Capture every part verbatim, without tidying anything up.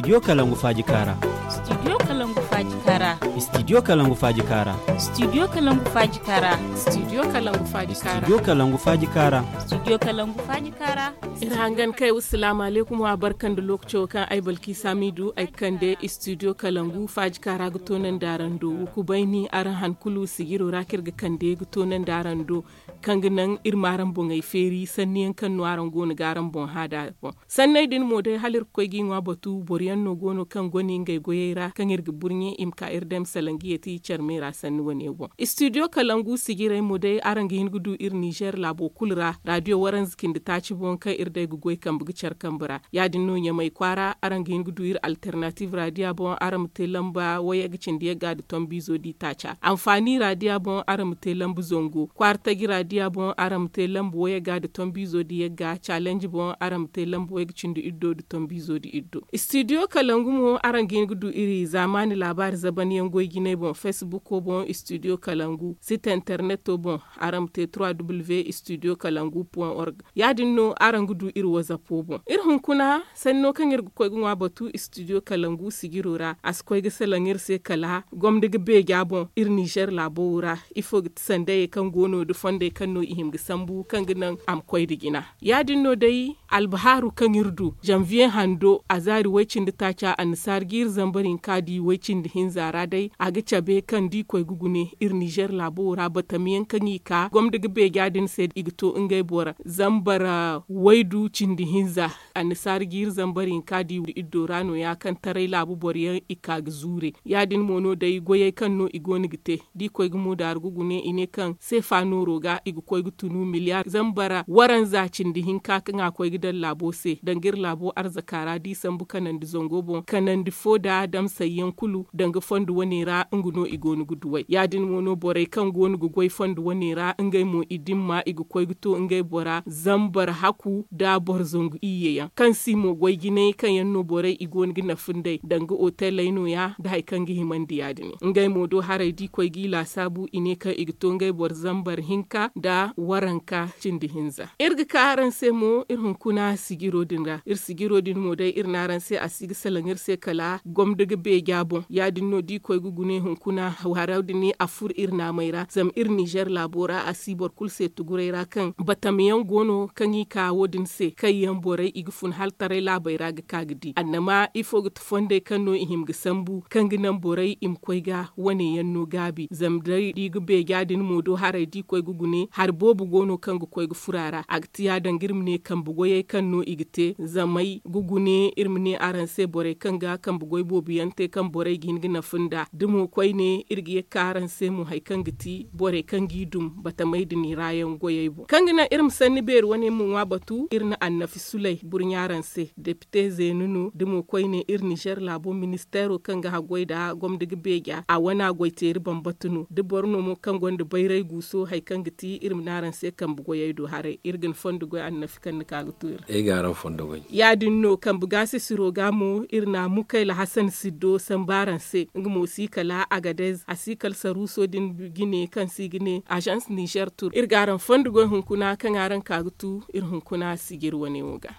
Studio kalangu faaji kaara. Studio kalangu faaji kaara. Studio kalangu faaji kaara. Studio kalangu faaji kaara. Studio kalangu faaji kaara. Studio kalangu faaji kaara. Studio kalangu faaji kaara. Iri hangan kay wa salaamu alaykum wa barka nda lookaco kaŋ ay balki saamiidu ay kande studio kalangu faaji kaara ga toonandi araŋ do. Wa kubayni araŋ han kulu sijiro ra kaŋ iri ga kande ga toonandi araŋ do, kaŋ ga naŋ iri ma araŋ boŋey feeri sanni yaŋ kaŋ no araŋ go no ga araŋ boŋ hã nd'a boŋ. Sanney din mo day hala iri ga koy g'i ŋwa batu boro yaŋ no go no kaŋ goni ngey goyey ra kaŋ iri ga burɲe i ma ka iri dam salaŋ ga yeeti care me ra sanni wane boŋ. Studio kalangu sijirey mo day araŋ ga hin ga du iri nizer laabo kulu ra raadiyo waranza cindi taaci boŋ kaŋ iri day ga goy kambe ga care kambe ra. Ya- din no ɲamay kwaara araŋ ga hin ga du iri alternative raadiya boŋ araŋ ma te lamba wayye ga cindi yagga nda tombiizo di taaca. Anfaani raadiya boŋ araŋ ma te lamba zango kwaara taji raadiya boŋ araŋ ma te lamba wayye ga nda tombiizo di yagga calenji boŋ araŋ ma te lamba wayye ga cindi iddo nda tombiizo di iddo. Studio kalangu mo araŋ ga hin ga du iri zaamaani laabaari zaban yaŋ goy jinay boŋ facebook boŋ studio kalangu site interneto boŋ araŋ ma te trois w studio kalangu point org. Ya- din no araŋ ga du iri wazappo boŋ iri hunkuna sanni no kaŋ iri ga koy ga ŋwa batu studio kalangu sijiro ra a si koy ga salaŋ iri se kala gomni ga beeja boŋ iri nizer laabo wo ra. Ifo ga ti sandayey kaŋ go no nda fondey kaŋ no i hima ga sambu kaŋ ga naŋ a ma koy nda jina. Ya- din no day albahaaru kaŋ iri du zanviye hando a zaari way-cindi taaca annasaara jiiri zambar hinka di way-cindi hinza ra day a ga cabe kaŋ da i koy ga gune iri nizer laabo wo ra batamiyaŋ kaŋ i ka gomni ga beeja din se i ga to ngey bora zambar waydu cindi hinza. Annasaara jiiri zambar hinka di iddo ra no- ya kaŋ taray laabu boro yaŋ i ka ga zuure. Ya- din mo no day goyey kaŋ no i go no ga te da i koy ga moodaaru ga gune i ne kaŋ seefa nooro ga i ga koy ga tunu miliyar zambar waranza cindi hinka kaŋ a koy ga daŋ laabo se danga iri laabo arzaka ra da i sambu kanandi zango boŋ kanandi fo nda damsay yaŋ kulu danga fondo wane ra nga no i go no ga duw'ey ya- din mo no borey kaŋ go no ga goy fondo wane ra ngey mo i dimma i ga koy ga to ngey bora zambar haku nda boro zangu iyye yaŋ kaŋ si mo goy jinay kaŋ yaŋ no borey i go no ga nafa nd'ey danga oteley no- ya nda hari kaŋ ga himandi ya- din. Ngey mo do haray da i koy g'i laasaabu i ne kaŋ i ga to ngey boro zambar hinka nda waranka cindi hinza. Iri ga ka araŋ se mo iri hunkuna sijiro din ra iri sijiro din mo day iri ne araŋ se a si ga salaŋ iri se kala gomdo ga beeja boŋ ya- din no da i koy ga gune hunkuna haro din a furo iri naamey ra zama iri nizer laabo ra a si boro kulu se tuguray ra kaŋ batama yaŋ go no kaŋ i ka wo- din se kaŋ yaŋ borey i ga fun hala taray laabey ra ga ka ga di annama ifo ga ti fondey kaŋ no i hima ga sambu kaŋ ga naŋ borey i ma koy ga wane yaŋ no gaabi zama day da i ga beeja din mo do haray da i koy ga gune hari boobo go no kaŋ ga koy ga furo a ra a ga ti ya- danga iri ma ne kambe goyey kaŋ no i ga te zamey ga gune iri ma ne araŋ se borey kaŋ ga kambe goy boobo yaŋ te kaŋ borey ga hin ga nafa nd'a da mo koyne iri ga ye ga ka araŋ se mo hari kaŋ ga ti borey kaŋ g'i dum batamey din ra yaŋ goyey boŋ kaŋ ga naŋ iri ma sanni beeri wane ma ŋwa batu iri na annafi suley burɲa araŋ se depite zeenu no da mo koyne iri nizer laabo ministeero kaŋ ga haggoy nda gomdo ga beeja a wana goy teeri bambata no da boro no mo kaŋ gonda bayray guuso hari kaŋ ga ti iri ma ne araŋ se kambe goyey do haray iri ga ni fondo goy annafi kaŋ ni ka ga to iri ra ay ga araŋ fondo goy ya- din no kambe gaasisiro ga mo iri na mukayla hasan siddo sambu araŋ se nga mo si kala agadez a si kala saruuso din jine kaŋ si ga ne azans nizer tur iri ga araŋ fondo goy hunkuna kaŋ araŋ ka ga tu iri hunkuna sijir wane wo ga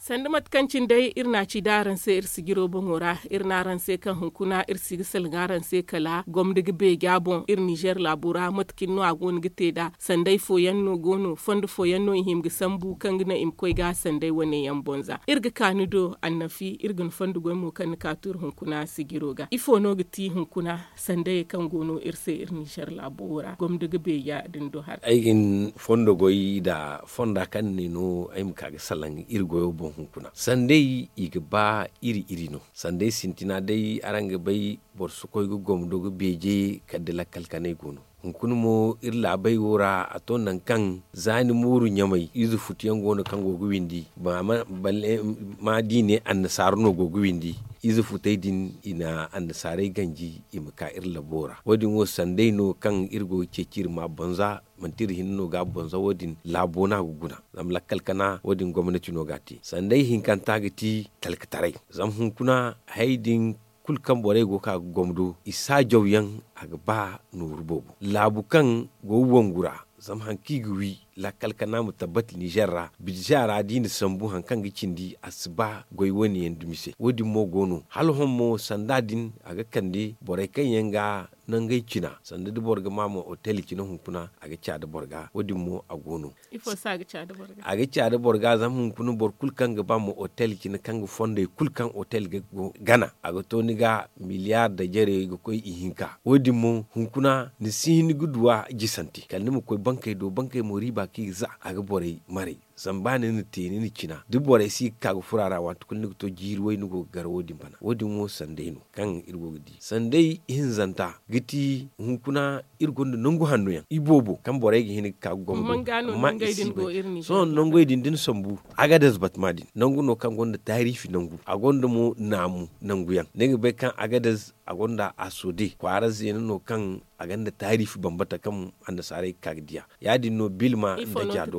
sanda mate kaŋ cine day iri na a ci da araŋ se iri sijiro boŋo ra iri ne araŋ se kaŋ hunkuna iri si ga salaŋ araŋ se kala gomdo ga beeja boŋ iri nizer laabo ra mate cine no a go no ga te nd'a sanday fooyaŋ no go no fondo fooyaŋ no i hima ga sambu kaŋ ga naŋ i ma koy ga sanday wane yaŋ boŋ za iri ga ka ni do annafi iri ga ni fondo goy mo kaŋ ni ka to iri hunkuna sijiro ga ifo no ga ti hunkuna sandayey kaŋ go no iri se iri nizer laabo ra gomdo ga beeja din do haray ay ga ni fondo goy nda fonda kaŋ ni ne no ay ma ka ga salaŋ iri goyo boŋ hunkuna sanday i ga ba iri iri no sanday sintina day araŋ ga bay boro si koy ga gomdo ga beeje kala da lakkal kanay go no hunkuna mo iri laabey wo ra a to nangu kaŋ za ni mooru ɲamay ize futu yaŋ go no kaŋ go ga windi ma da i ne annasaara no go ga windi ize futey din i na annasaarey ganji i ma ka iri labo ra wo- din wo sanday no kaŋ iri go ga ceeci iri ma boŋ za manti iri hinne no ga a boŋ za wo- din laabo no a ga guna zama lakkal kana wo- din gomnati no ga a te sanday hinkanta ga ti talkataray zama hunkuna hayey din kulu kaŋ borey go ga ka ga gomdo i saajaw yaŋ. A ga ba nooru boobo laabu kaŋ go ga wangu ra. Zama hari kaŋ i ga wi lakkal kana ma tabbati nizer ra bidze ra da i na sambu hari kaŋ ga cindi a si ba goy wane yaŋ dumi se wo- din mo go no hala hõ mo sanda din a ga kande borey kaŋ yaŋ ga nangey cina sanda da boro ga ma ma otel cina hunkuna a ga ca da boro ga wo- din mo a go no. A ga ca da boro ga zama hunkuna boro kulu kaŋ ga ba ma otel cina kaŋ ga fondey kulu kaŋ otel ga gana a ga to ni ga miliyaar da jare ga koy ihinka wo- din mo hunkuna ni si hin ga duw'a jisante kala ni ma koy bankey do bankey mo riiba kaŋ i ga za a ga borey maray. Zama ba ni na te ni na cina da borey si ga ka ga furo a ra waati kulu ni ga to jiiri way ni go ga gar wo- din bana wo- din wo sanday no kaŋ iri go ga di sanday ihinzanta ga ti hunkuna iri gonda nangu hanno yaŋ iboobo kaŋ borey ga hin ga ka ga gomdo. Amma i si bay sohõ nangey din da ni sambu agadez batama din nangu no kaŋ gonda taariifi nangu a gonda mo naamu nangu yaŋ ni ga bay kaŋ agadez a gonda a soode kwaara zeena no kaŋ a gonda taariifi bambata kaŋ annasaarey ga ka ga diya. Ya- din no bilma nda jaado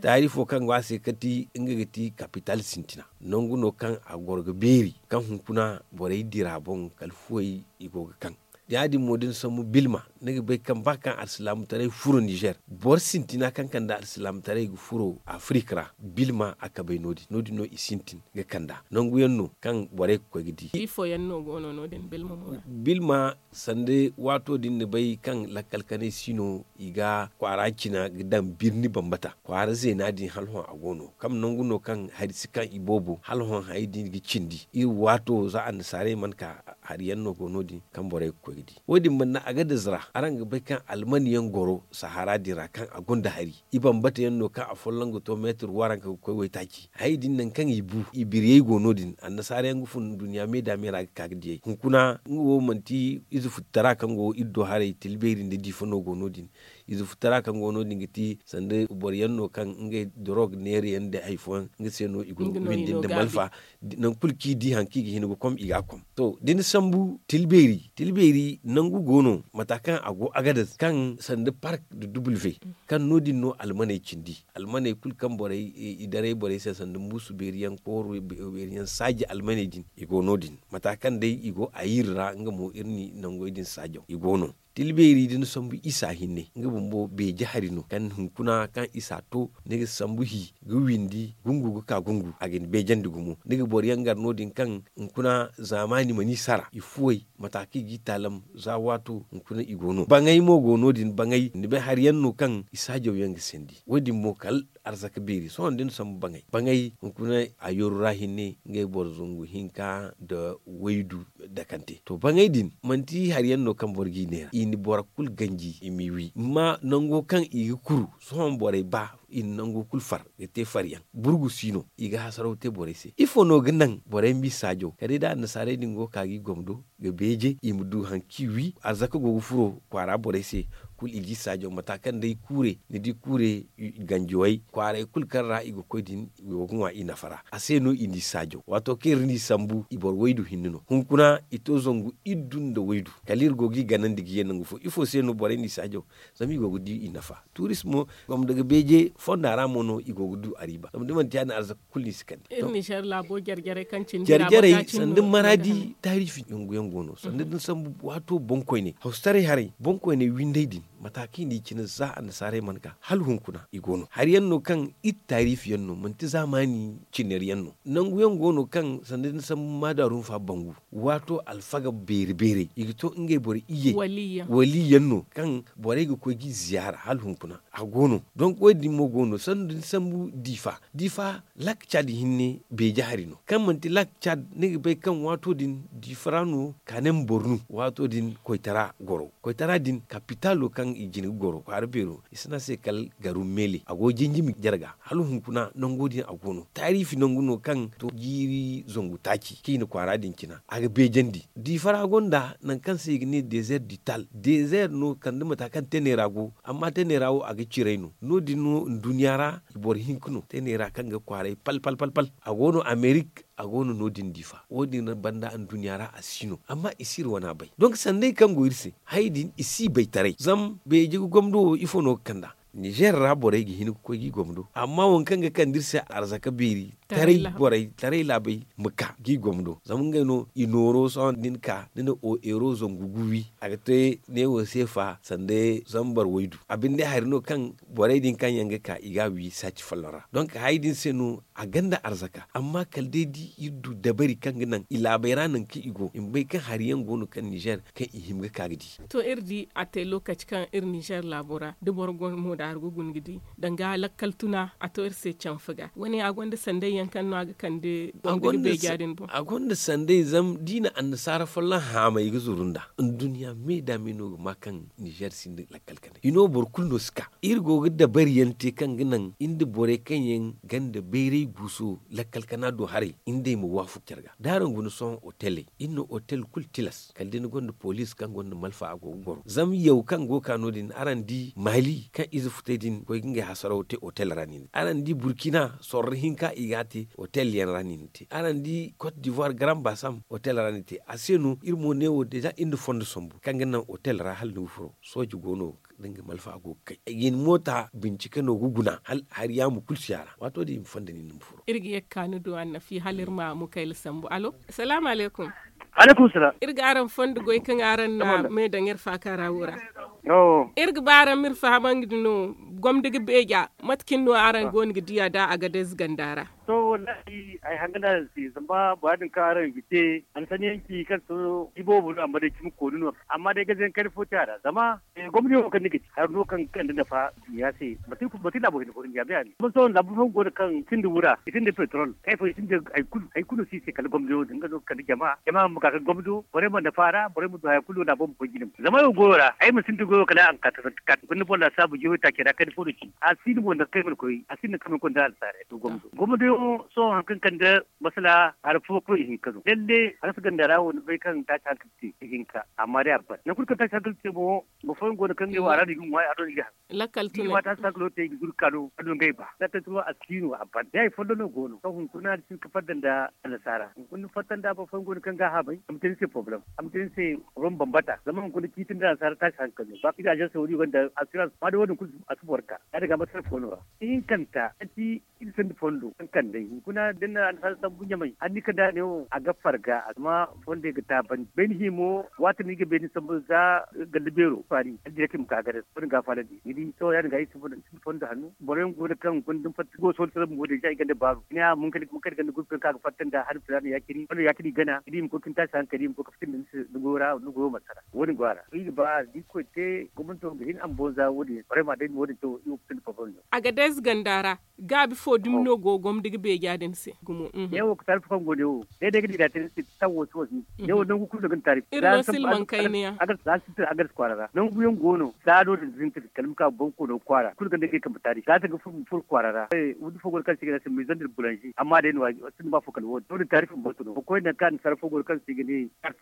taariifo kaŋ go a se kati nga ga ti kapital sintina nangu no kaŋ a goro ga beeri kaŋ hunkuna borey dira boŋ kala fuwey i go ga kaŋ. Ya- din mo da ni sambu bilma ni ga bay kaŋ ba kaŋ alsilaamataray furo nizer boro sintina kaŋ kande alsilaamataray ga furo afirik ra bilma a kabay no- din no- din no i sintin ga kand'a nangu yaŋ no kaŋ borey ga koy ga di. Bilma sanda waato din ni bay kaŋ lakkal kanay si no i ga kwaara cina ga daŋ birni bambata kwaara zeena din hala hõ a go no kaŋ nangu no kaŋ hari si kaŋ i boobo hala hõ hari din ga cindi iri waato za annasaarey mana ka hari yaŋ no go no- din kaŋ borey ga koy ga di wo- din banda agadez ra araŋ ga bay kaŋ almani yaŋ goro sahara din ra kaŋ a gonda hari i bambata yaŋ no kaŋ afolloŋ ga to meetir waranka ga koy waytaaci hari din nangu kaŋ i bu i biriyey go no- din annasaara yaŋ ga fun duɲɲa me da me ra ga ka ga diyey hunkuna nga wo manti ize futtara kaŋ go iri do haray tila beeri nda diifa no go no- din. Ize futtara kaŋ go no- din ga ti sanda boro yaŋ no kaŋ ngey dorog neera yaŋ nda hari fooyaŋ nga se no i go ga windi nda malfa. Nangu kulu kaŋ i di hari kaŋ i ga hin ga kom i ga a kom to da ni sambu tila beeri nangu go no mata kaŋ a go agadez kaŋ sanda park da duble ve kaŋ no- din no almaney cindi almaney kulu kaŋ borey i daray borey se sanda muusu beeri yaŋ kooro beeri yaŋ saaji almaney din i go no- din mata kaŋ day i go ayir ra nga mo iri na nangey din saajaw i go no. Tila beeri da ni sambu isa hinne nga bumbo beeje hari no kaŋ hunkuna kaŋ isa to ni ga sambu hi ga windi gungu ga ka gungu a ga ni beejandi gumo ni ga boro yaŋ gar no- din kaŋ hunkuna zaamaani mana i sara i fuwey mata kaŋ i ga i taalam za waato hunkuna i go no baŋay mo go no- din baŋay ni bay hari yaŋ no kaŋ i saajaw yaŋ ga sandi wo- din mo kala arzaka beeri sohõ da ni sambu baŋay baŋay hunkuna a yooru ra hinne ngey boro zangu hinka nda waydu dakante to baŋay din manti hari yaŋ no kaŋ boro g'i neera i na boro kulu ganji i m'i wi amma nango kaŋ i ga kuru sohõ borey ba i na nango kulu far ga te far yaŋ burgu si no i ga hasaraw te borey se ifo no ga naŋ borey m'i saajo kala day da annasaarey din go ga ka g'i gomdo ga beeje i ma du hari kaŋ i wi arzaka go ga furo kwaara borey se kulu i g'i saajo mata kaŋ day kuure ni di kuure ganjiwey kwaaray kulu kaŋ ra i ga koy din i go ga ŋwa i nafa ra a se no i n'i saajo waato kaŋ iri n'i sambu i boro waydu hinne no hunkuna i to zangu iddu nda waydu kala iri go g'i ganandi ga ye nangu fo ifo se no borey n'i saajo zama i go ga di i nafa turismo gomdo ga beeje fonda ra mo no i go ga du ariiba zama da manti ya- din arzaka kulu no i si kande. Iri nizer laabo jare jarey kaŋ cindi ra jarey sanda maraadi taariifi nangu yaŋ go no sanda da ni sambu waato boŋkoyney hawsataray haray boŋkoyney windey din mata kaŋ i n'i cine za annasaarey mana ka hala hunkuna i go no hari yaŋ no kaŋ iri taariifi yaŋ no manti zaamaani cinari yaŋ no nangu yaŋ go no kaŋ sanda da ni sambu maadaarun fa bangu waato alfaga beeri beerey i ga to ngey boro iyye wali yaŋ no kaŋ borey ga koy g'i ziyaara hala hunkuna a go no donk wo- din mo go no sanda da ni sambu diifa diifa lak cad hinne beeje hari no kaŋ manti lak cad ni ga bay kaŋ waato din diifa ra no kaanem bornu waato din koytara goro koytara din kapitaalo kaŋ i jine ga goro kwaara beero i si ne a se kala garum meele a go jinjimi jarga hala hunkuna nango din a go no taariifi nangu no kaŋ to jiiri zangu taaci kaŋ i na kwaara din cina a ga beejandi diifa ra gonda nangu kaŋ se i ga ne deezer dital deezer no kala da mata kaŋ teney ra go amma teney ra wo a ga ciray no no- din no nduɲɲa ra i boro hinka no teney ra kaŋ ga kwaaray pal pal pal pal a go no amerik a go no no- din diifa wo- din banda nduɲɲa ra a si no amma i si iri wana bay donk sandey kaŋ go iri se hayey din i si i bay taray zama beeje ga gomdo wo ifo no ga kand'a Nizer ra borey ga hin ga koy ga i gomdo amma waŋ kaŋ ga kande iri se arzaka beeri taray borey taray laabey ma ka ga i gomdo zama ngey no i nooro sohõ da ni ka ni na euro zangu gu wi a ga te neewo seefa sanda zambar waydu a binde hari no kaŋ borey din kaŋ yaŋ ga ka i ga a wi saaci folloŋ ra donk hayey din se no a gonda arzaka amma kala day da iri du dabari kaŋ ga naŋ i laabey ra nangu kaŋ i go i ma bay kaŋ hari yaŋ go no kaŋ nizer kaŋ i hima ga ka ga di. To iri di a te lookaci kaŋ iri nizer laabo ra da boro go mo da hari ga guna ga di danga lakkal tuna a to iri se canfa ga wane a gonda sanday yaŋ kaŋ no a ga kande boro ga beeja din boŋ. A gonda sanday zama da i na annasaara folloŋ haamay ga zuru nd'a. Nduɲɲa me da me no ga ma kaŋ nizer sinda lakkal kanay i no boro kulu no si ka iri go ga dabari yaŋ te kaŋ ga naŋ iri nda borey kaŋ yaŋ gonda bayray guuso lakkal kana do haray iri nd'ey ma waafaku care ga da araŋ guna sohõ oteley iri na otel kulu tilas kala da ni gonda poliis kaŋ gonda malfa a go ga goro zama yaw kaŋ go ga ka no- din araŋ di maali kaŋ ize futay din koy ga ngey hasaraw te otel ra no i na te araŋ di burkina sorro hinka i ga a te otel yaŋ ra no i na te araŋ di kot divoir garan basam otel ra no i na te a se no iri mo ne wo deeza iri na fondo sambu kaŋ ga naŋ otel ra hala ni ga furo sooji go no da nga malfa go ga kay ay ga hin moota bincike no ga guna hala hari yaamo kulu si a ra waato din i ma fonda nin ni ma furo. Iri ga ye ga ka ni du annafi hala iri ma mukayla sambu allo? Salaamu alaykum. Alaykum salaam. Iri ga araŋ fondo goy kaŋ araŋ na me daŋ iri faaka ra wo ra. Iri ga ba araŋ ma iri fahamandi no gomdi ga beeja mate cine no araŋ go no ga diya da agadez ganda ra? To wallahi ay hanga no araŋ se zama bora din kaŋ araŋ ga te a na sanni yaŋ ci kaŋ to iboobo no amma day cimi kooni no amma day gazayaŋ kayna fo te a ra zama gomni wo kaŋ ni ga ci hari no kaŋ ga kande nafa duɲɲa se. Manti laabo hinne fo duɲɲa bay a ne zama sohõ laabu fooyaŋ go no kaŋ sinda wura i sinda petrol kayfo i sinda hari kulu no si i se kala gomni wo din nga no ga kande jama jama ma ka ga gomni wo borey ma nafa a ra borey ma du haya kulu no laabo ma koy jine mo zama ay wo goyo ra ay ma sinda goyo kala a ma ka tasanti kat hunkuna ni boŋ laasaabu jihoy taacey ra kayna fo no ci a si no mo nangu kaŋ ay mana koy a si no nangu kaŋ ay mana koy nda annasaarey to gomni wo sohõ hari kaŋ kande masala hari fo koy ihinka no lalle hari si ganda ra wo ni bay kaŋ taaci hankali te ihinka amma day a ban nangu kulu kaŋ taaci hankali te mo boro fooyaŋ go no kaŋ ngey wo a ra no i ga ŋwa a do no i ga haŋ lakkal tunay i ma taaci hankalo te i ga zuru ka no a do ngey ba lakkal tunay a si no a ban day hari folloŋ no go no kaŋ hunkuna ni si hin ga fatta nda annasaara hunkuna ni fatta nda boro fooyaŋ go no kaŋ ga a haabay a ma te ni se porobalem a ma te ni se rom bambata zama hunkuna ciiti nda annasaara taaci hankali no ba kaŋ i ga azansey wo- din gonda asirans amma day wo- din kulu a si boro ka ya- din ga masala fo no ra ihinkanta manti iri sinda fondo kaŋ kande hunkuna da ni na annasaara sambu ɲamay hala ni kande a ne wo a ga farga zama fondey ga taabandi bayni himo waati no i ga bayni sambu za ganda beero faani hala direct i ma ka ganda wo- din ga a faalandi ni di sohõ ya- din ga iri sinda fondo hanno boro yaŋ go no kaŋ hunkuna da ni fatta go sohõ ni sara bumbo deeza i gonda baaru ni a ma hunkuna hunkuna ganda gurpi yaŋ kaŋ a ga fatta nda hari filaana ya- cine wala ya- cine i gana ni di i ma koy ga ni taasi hankali i ma koy ga fitindi ni se ni goyo ra ni goyo mana sara wo- din go a ra iri ga ba da irkoy te gomnato ga hin a ma boŋ za wo- din borey ma day wo- din to iri wo ga sinda fondo no agadez ganda ra gaabi fo dumi no go gomdi ga beeja din se gumo ne wo ga taarifu kaŋ go ne wo day day ga di da te ni se taŋ wo si wo si ne wo nangu kulu no ga ni taarifu iri no silmaŋ kayna yaŋ za sintin agadez kwaara ra nangu yaŋ go no za no din sintin kala ma ka boŋ koono kwaara kulu ganda ga ay kambe taarifu za ta ga furo kwaara ra wundi fo go no kaŋ se i ga ne a se maison de boulangerie amma day no a sinda ba fo kala wo- din to- din taarifu bambata no ma koy nangu kaŋ annasaara fo go no kaŋ se i ga ne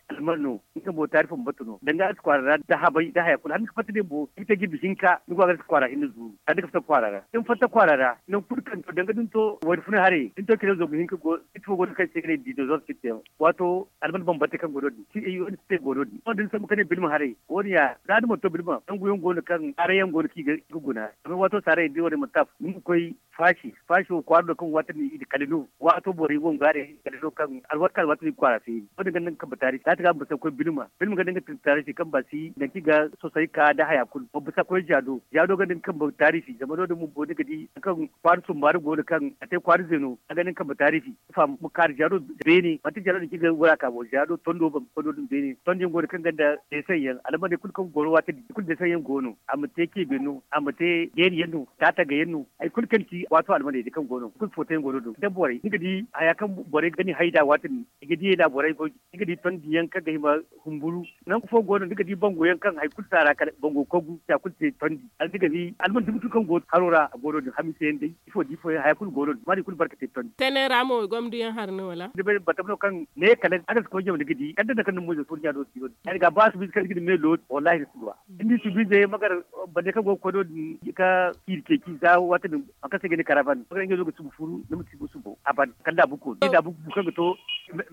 alman no nga mo taari fo ma batu no danga a si kwaara ra da habay da haya kulu hala ni ga fatta din bo ni ga te jirbi hinka ni go a ga si kwaara hinne zuru kala ni ga fatta kwaara ra da ni fatta kwaara ra nangu kulu kaŋ to danga da ni to wayna funa haray da ni to kine zangu hinka go siti fo go no kaŋ se i ga ne dinosaure siti yaŋ waato alman bambante kaŋ go no- din si ay wani siti go no- din sohõ da ni sambu ka ne bilma haray wo- din ya za ni mana to bilma nangu yaŋ go no kaŋ saaray yaŋ go no kaŋ i ga guna amma waato saaray yaŋ da ni wane mana taafu ni ma koy faasi faasi wo kwaara no kaŋ waati din i na kala no waato borey go ga ŋwaaray kala no kaŋ alwaati kaŋ alwaati din kwaara feeri wo- din ganda nga kambe taarifi za ti ga ma bisa ga koy bilma bilma ganda nga kambe taarifi kaŋ ba si nangu kaŋ i ga sosay ka nda haya kulu ma bisa ga koy jaado jaado ganda nga kambe taarifi zama no- din bumbo ni ga di nangu kaŋ kwaara sumbaari go no kaŋ a te kwaara zeeno a ganda nga kambe taarifi ma kaari jaado beene manti jaado din kaŋ i ga wara ka bo jaado tondo bambe koy no- din beene tondi yaŋ go no kaŋ ganda deesaŋ yaŋ almaney kulu kaŋ goro waati din i kulu deesaŋ yaŋ go no a ma te ceebe no a ma te jeeri yaŋ no taatagay yaŋ no hari kulu kaŋ ti waato almaney day kaŋ go no kulu footo yaŋ go no- din da borey ni ga di haya kaŋ borey ga ni hay nd'a waati din i ga di ay da borey goy ni ga di tondi yaŋ kaŋ ga hima humburu nangu fo go no ni ga di bango yaŋ kaŋ hari kulu si a ra kala bango kogu ya kulu te tondi hala ni ga di alman dumi kulu kaŋ go haro ra a go no- din hamiisa yaŋ day ifo da ifo yaŋ haya kulu go no- din amma i kulu barka te tondi tene ra mo gomdu yaŋ hari no wala ni bay bata no kaŋ ne kala a ga si koy jama ni ga di kala da nangu kaŋ ni mo ize furo ɲa do si no- din ya- din ga ba a si bisa kaŋ ni ga ni me looti wallahi ni si duw'a ni di subiizey magar bande kaŋ go ga koy no- din ga ciiri ceeci za waati din hari kaŋ se i ga ne karaban magar ɲa do ga subu furu ni ma si bu subo a ban kala laabu koonu laabu bu kaŋ ga to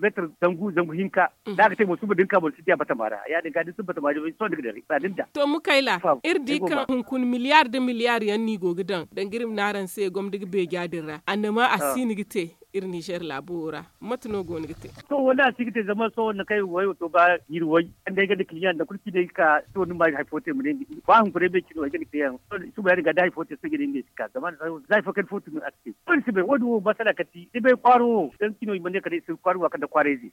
Meetar zangu zangu hinka. Da a ga te mo suba da ni ka boro si diya batama ra ya- din ga da ni suba batama ra sohõ ni ga daray ba da ni da. To mukayla, iri di kaŋ hunkuna miliyaar nda miliyaar yaŋ no i go ga daŋ danga iri ma ne araŋ se gomdi ga beeja din ra annama a si no ga te. Iri ninzeer laabo wo ra mate no go no ga te? To wala a si ga te zama sohõ nangu kaŋ iri ga wayo to ba jiiri way kaŋ day ga da kiliyaŋ nangu kulu kaŋ i ne ga ka sohõ ni ma hari fo te ma ne ni ga di ba hunkuna ay bay cine wo ay ga ni te yaŋ. Suba ya- din ga da hari fo te sohõ ay ga ne ni ma ay si ka zama za hari fo kaŋ ni fo tun a si te. Wo- din wo masala kaŋ ti ni bay kwaaro wo daŋ cino i mana ne kala i si kwaari wa kala nda kwaarayze.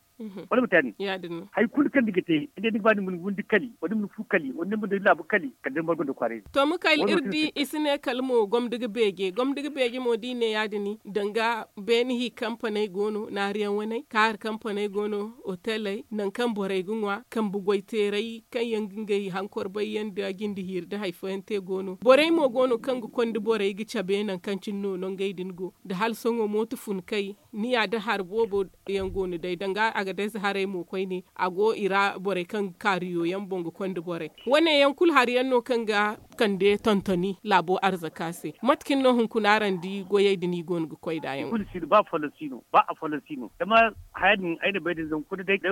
Wala ma te ya- din hari kulu kaŋ ni ga te ni ga ba ni ma ni windi kali wala ni ma ni fu kali wala ni ma ni laabu kali kala day ni margu nda kwaarayze. To mukayla iri di i si ne kala mo gomdi ga beeje gomdi ga beeje mo da i ne ya- din danga beene hi kampaney go no naariyaŋ waney kaari kampaney go no oteley nangu kaŋ borey ga ŋwa kambe goy teeray kaŋ yaŋ ga ngey hankor bayyaŋ nda jinde hiiri nda hari fooyaŋ te go no borey mo go no kaŋ ga konda borey ga cabe nangu kaŋ cine no nangey din go nda hala sohõ mooto fun kay ni ya da hari boobo yaŋ go no day danga a ga dayze haray mo koyne a go i ra borey kaŋ ga kaariyo yaŋ boŋ ga konda borey. Wane yaŋ kulu hari yaŋ no kaŋ ga kande tontoni laabo arzaka se mate kaŋ no hunkuna araŋ di goyey din i go no ga koy nd'a yaŋ? Ba afooyaŋ si no ba afooyaŋ si no zama haya din ay na bay din zama kulu day da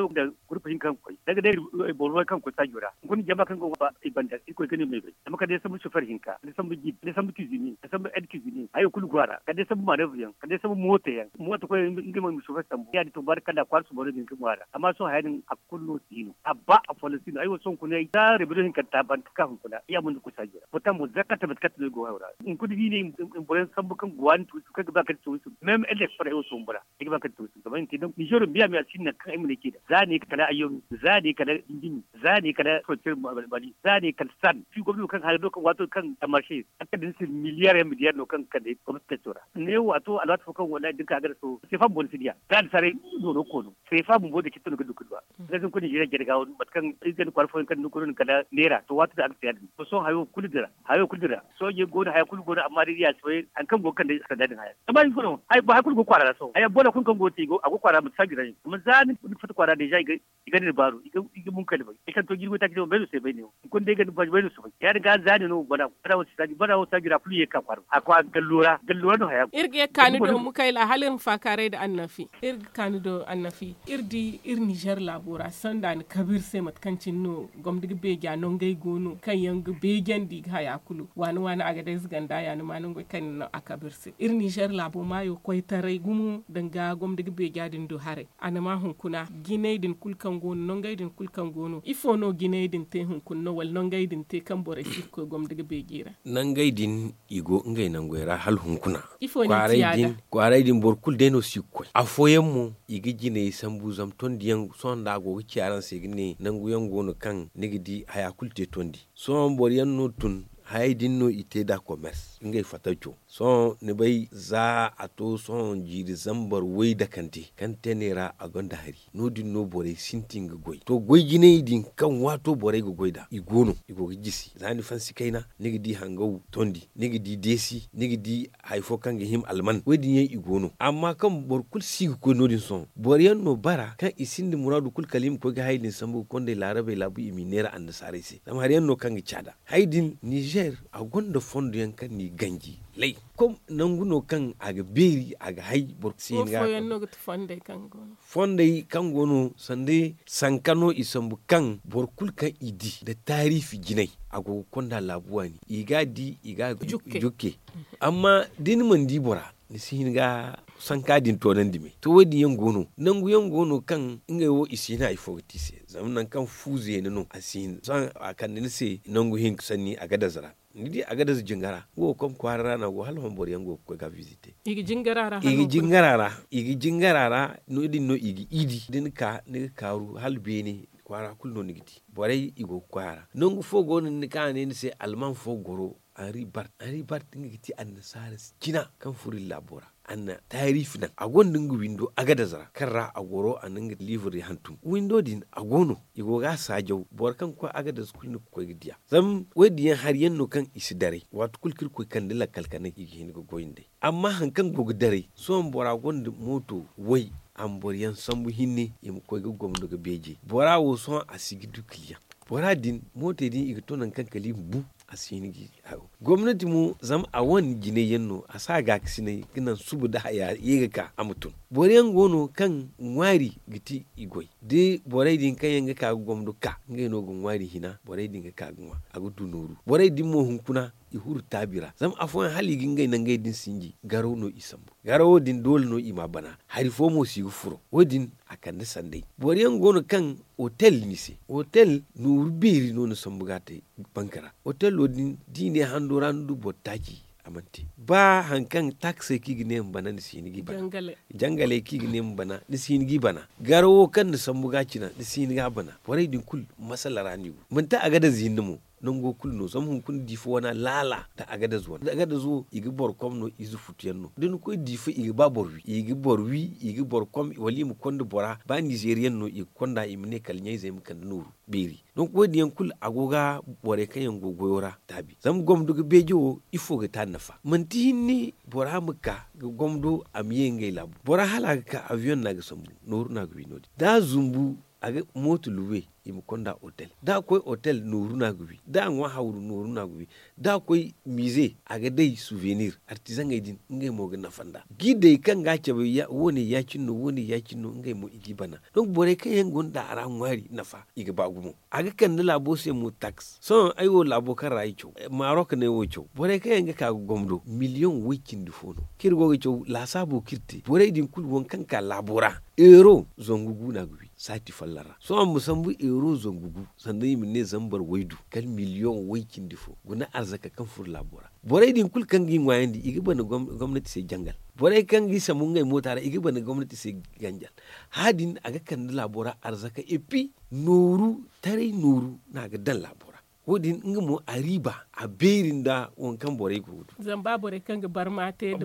gurpa hinka kaŋ ga koy danga day boro way kaŋ ga koy saajo ra hunkuna jama kaŋ ga ba i banda irkoy ga ne ma ay bay zama kala day sambu sofer hinka kala day sambu jib kala day sambu kizini kala day sambu ed kizini hayo kulu go a ra kala day sambu maneebar yaŋ kala day sambu mooto yaŋ mooto koy ngey mo i ma sofer sambu ya- din to baarikalla kwaara sooboro din ga ŋwa a ra amma sohõ haya din a kulu no si no a ba afooyaŋ si no ay wo sohõ hunkuna ay za rebedo hinkanta ban ga ka hunkuna ya ma ni ga koy saajo ra boro kaŋ mo zakka tabatkat no ay go hayo ra hunkuna da i ne i ma boroyaŋ sambu kaŋ ga waani tuuri kaŋ ga ba kala tuuri meme elek fara ay wo sohõ bora ay ga ba kala tuuri zama i ma te donc ninzeero miya miya si no nangu kaŋ ay ma ne ceeda za ne kala ayyoŋ za ne kala dindimi za ne kala frontier mali za ne kala san fi gomni wo kaŋ haya do kaŋ waato kaŋ marse a kala da ni se miliyaar yaŋ miliyaar no kaŋ ga kande gomnati taco ra ne wo a to alwaati fo kaŋ wallahi da ni ka a gana so seefa bumbo ni si diya za ni saray nooro koono seefa bumbo da citta no ga du ga duwa. Nga zama kulu ninzeeriya jare ga wo mate kaŋ iri ga ni kwaara fooyaŋ kaŋ ni ga koy no ni kala neera to waati da a ga te ya- din to sohõ hayo kulu dira hayo kulu dira soojey go no haya kulu go no amma day ya si bay hari kaŋ go ga kande sanda din haya amma ifo no haya kulu go kwaara ra sohõ haya boola kulu kaŋ go ga te a go kwaara manti saajo ra ne amma za ni ga fatta kwaara deeza i ga ni baaru i ga munkali bay ay kaŋ to jirbi taaci day wo bay no se bay ne wo hunkuna day ga ni baaru bay no se bay ya- din ga za ne no bana wo saajo ra kulu ye ga ka kwaara a kwaara gallo ra gallo ra no haya go. Iri ga ye ga ka ni do mukayla hala iri ma faakaaray nda annafi iri ga ka ni do annafi iri di iri ninzeer laabo ra sanda ni kabe iri se mate kaŋ cine no gomdi ga beeja nangey go no kaŋ yaŋ ga beejandi i ga haya kulu waani waani a ga day ziganda ya ni ma nangey kaŋ ni no a kabe iri se iri ninzeer laabo maayo koytaray gumo danga gomdi ga beeja din du haray a na ma hunkuna jinay din kulu kaŋ go no nangey din kulu kaŋ go no ifo no jinay din te hunkuna no wala nangey din te kaŋ borey si ga koy gomdi ga beeji ra? Nangey din i go ngey nangey ra hala hunkuna. Kwaaray din boro kulu day no si ga koy afooyaŋ mo i ga jinay sambu zama tondi yaŋ sohõ nda a go ga ci araŋ se ga ne nangu yaŋ go no kaŋ ni ga di haya kulu te tondi sohõ boro yaŋ no tun hayey din no i te nd'a komers ngey fattaco sohõ ni bay za a to sohõ jiiri zambar way dakante kaŋ te ne ra a gonda hari no- din no borey sintin ga goy to goy jinay din kaŋ waato borey ga goy nd'a i go no i go ga jisi za ni fansi kayna ni ga di hangaw tondi ni ga di deesi ni ga di hari fo kaŋ ga hima alman wo- din yaŋ i go no amma kaŋ boro kulu si ga koy no- din sohõ boro yaŋ no bara kaŋ i sinda muraadu kulu kala i ma koy ga hayey din sambu ga kondey laarabey laabu i m'i neera annasaarey se zama hari yaŋ no kaŋ ga caada. Hay din nizer a gonda fondo yaŋ kaŋ n'i ganji lay kom nangu no kaŋ a ga beeri a ga hay boro si hin ga. Fondey kaŋ go no sanda sanka no i sambu kaŋ boro kulu kaŋ i di nda taariifi jinay a go ga konda laabu waani i ga a di i ga a jukke. Amma da ni mana di bora ni si hin ga sanka din toonandi me to wo- din yaŋ go no nangu yaŋ go no kaŋ ngey wo i si hin hari fo ga te i se zama nangu kaŋ fu zeena no a si hin sohõ a kande ni se nangu hinka sanni a ga daza ra ni di a ga daza jingara nga wo kaŋ kwaara ra no a go hala hon boro yaŋ go ga koy ga a visite i ga jingara ra i ga jingara ra no- din no i ga iidi da ni ka ni ga kaaru hala beene kwaara kulu no ni ga di borey i go ga koy a ra nangu fo go no ni ka a ne ni se alman fo goro anri bart anri bart nga ga ti annasaara cina kaŋ furo iri laabo ra a na taariifi naŋ a gonda nga windo agadaz ra kaŋ ra a goro a na nga liibre hantum windo din a go no i go ga a saajaw boro kaŋ ga koy agadaz kulu ni ga koy ga diya zama wo- din yaŋ hari yaŋ no kaŋ i si daray waati kulu kaŋ iri koy kande lakkal kanay i ga hin ga goy nd'ey amma hari kaŋ go ga daray sohõ bora gonda mooto way a ma boro yaŋ sambu hinne i ma koy ga gomno ga beeje bora wo sohõ a si ga du kiliyaŋ bora din mootey din i ga to nangu kaŋ kala i ma bu a si hin ga hayo Gomnati mo zama a wane jinay yaŋ no a si a gaakasinay ga naŋ suba nda haya ye ga ka a ma tun. Boro yaŋ go no kaŋ ŋwaari ga ti i goy da borey din kaŋ yaŋ ga ka ga gomdo ka ngey no ga ŋwaari hina borey din ga ka ga ŋwa a ga du nooru borey din mo hunkuna i huru taabi ra zama afooyaŋ hala i ga ngey nangey din sinji garaw no i sambu. Garawo din doole no i m'a bana hari fo mo si ga furo wo- din a kande sanday. Boro yaŋ go no kaŋ otel ni se otel nooru beeri no ni sambu ga a te banka ra. Otelo din da i ne hando ra ni du boro taaci a mana te ba hari kaŋ taksey kaŋ i ga ne ma bana ni si hin ga i bana. Jangaley kaŋ i ga ne ma bana ni si hin ga i bana. Garawo kaŋ ni sambu ga a cina ni si hin ga a bana borey din kulu masala ra no i go manti a ga daza hinne mo. Nango kulu no zama hunkuna diifa wana laala nda a ga daza wane a ga daza wo i ga boro kom no ize futu yaŋ no da ni koy diifa i ga ba boro wi i ga boro wi i ga boro kom wala i ma konda bora ba nizeeriyaŋ no i ga konda i ma ne kala ɲayzey ma kande nooru beeri. Donk wo- din yaŋ kulu a go ga borey kaŋ yaŋ go goyo ra taabi zama gomdo ga beeje wo ifo ga te a nafa manti hinne bora ma ka ga gomdo a ma ye ngey laabu bora hala a ga ka abiyoŋ no a ga sambu nooru no a ga wi no- din da a zumbu a ga mooto luwe i ma konda otel da a koy otel nooru no a ga wi da a ŋwa hawru nooru no a ga wi da a koy miize a ga day suvenir artizaŋey din ngey mo ga nafa nd'a. Gidey kaŋ ga a cabe woone ya- cine no woone ya- cine no ngey mo i g'i bana. Donk borey kaŋ yaŋ gonda a ra ŋwaari nafa i ga ba gumo a ga kande laabo se mo taks sohõ ay wo laabo kaŋ ra ay caw maarok no ay wo caw borey kaŋ yaŋ ga ka ga gomdo miliyoŋ woy cindi fo no kaŋ iri go ga caw laasaabo kaŋ iri te borey din kulu waŋ kaŋ ka laabo ra euro zangu gu no a ga wi saati folloŋ ra sohõ ma sambu euro zangu gu sanda i ma ne zambar waydu kala miliyoŋ way cindi fo guna arzaka kaŋ furo laabo ra. Borey din kulu kaŋ ga i ŋwaayandi i ga bana gomnati se jangal. Borey kaŋ ga i sambu ngey moota ra i ga bana gomnati se jangal. Haya din a ga kande laabo ra arzaka epi nooru taray nooru no a ga daŋ laabo ra. Wo- din nga mo a riiba a beeri nda waŋ kaŋ borey go ga du. Zama